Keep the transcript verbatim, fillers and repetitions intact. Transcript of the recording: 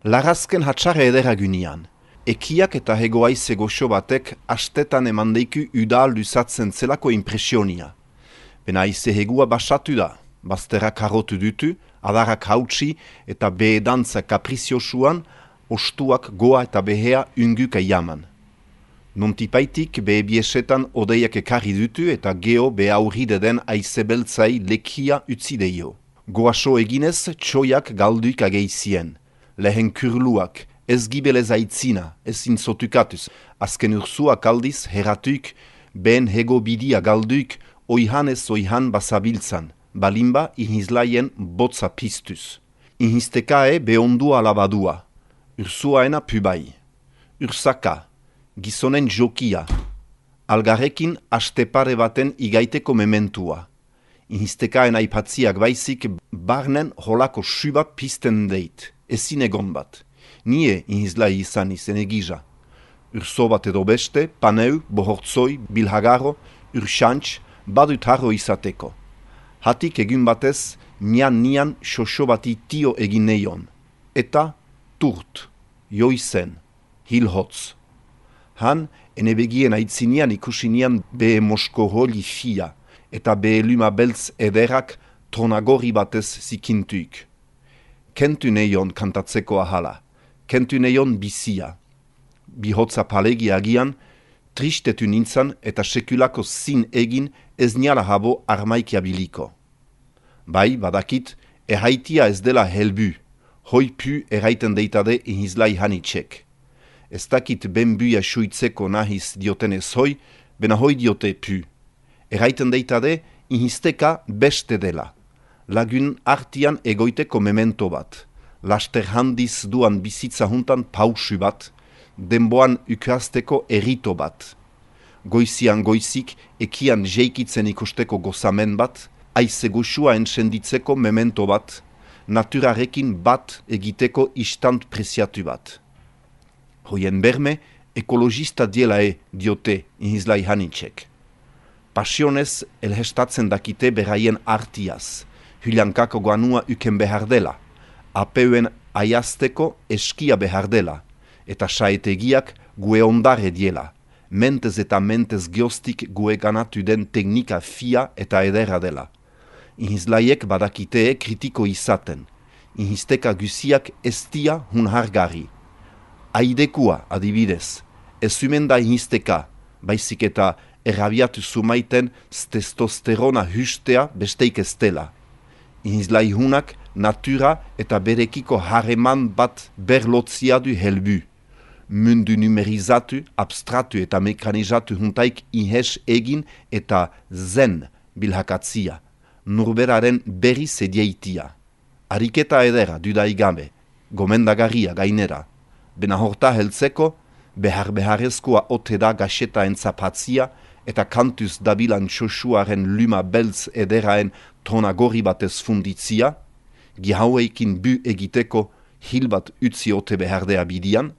Larazken hatxarre edera gynian. Ekiak eta hegoaize goxo batek astetan emandeiku udal luzatzen zelako impresionia. Bena aize hegua basatu da, bazterrak harrotu dutu, adarrak hautsi eta behedantza kapriziosuan, ostuak goa eta behea unguka jaman. Nontipaitik behe biesetan odeiak ekarri dutu eta geho behaurride den aize beltzai lekia utzi deio. Goaso eginez txoiak galduik ageizien. Lehen kurluak, ez gibelez aitzina, ezin zotukatuz. Azken ursuak aldiz heratuik, ben hego bidia galduik, oihan ez oihan basabiltzan, balimba ihizlaien botza piztuz. Ihiztekae behondua alabadua, ursuaena pubai. Ursaka, gizonen jokia, algarrekin astepare baten igaiteko mementua. Ihiztekaen aipatziak baizik barnen holako subat pizten deit, ezin egon bat. Nie ihizlai izan izen egija. Urso bat edo beste, paneu, bohortzoi, bilhagarro, ursantx, badut harro izateko. Hatik egun batez, nian nian xoxo bati tio egin neion. Eta turt, joizen, hilhotz. Han, ene begien aitzinian ikusinian behe mosko holi fia, eta behe luma beltz ederak tronagori batez zikintuik. Kentu neion kantatzeko ahala, kentu neion bizia. Bihotza palegi agian, tristetu nintzan eta sekulako zin egin ez niala habo armaikia biliko. Bai, badakit, erraitia ez dela helbu, hoi pu erraiten deitade ihizlai hanitxek. Ez dakit benbuia suitzeko nahiz dioten ez hoi, bena hoi diote pu. Erraiten deitade ihizteka beste dela. Lagun artian egoiteko memento bat. Laster handiz duan bizitza juntan pausu bat, denboan ukazteko erito bat. Goizian goizik ekian jeikitzen ikusteko gozamen bat, aize goxua entsenditzeko memento bat, naturarekin bat egiteko istant preziatu bat. Hoien berme, ekologista dielae diote ihizlai hanitxek. Pasionez elhestatzen dakite beraien artiaz, hyliankako guanua uken behar dela, apeuen aiazteko eskia behar dela, eta saetegiak gue ondare diela, mentez eta mentez geostik gue ganatu den teknika fia eta edera dela. Ihizlaiek badakitee kritiko izaten, ihizteka guziak estia hun hargari. Aidekua adibidez, ez zumen da ihizteka, baizik eta errabiatu zumaiten testosterona hustea besteik ez dela. Ihizlai hunak natura eta berekiko harreman bat berlotzia du helbu. Mundu numerizatu, abstratu eta mekanizatu huntaik ihes egin eta zen bilhakatzia, nurberaren berri zediaitia. Ariketa edera dudaigabe, gomendagarria gainera. Bena horta heltzeko, behar-beharrezkoa ote da gaxeta entzapatzia eta kantuz dabilan xoxuaren luma beltz ederaen tronagori batez funditzia, gihaueikin bu egiteko hil bat utzi ote behardea bidian.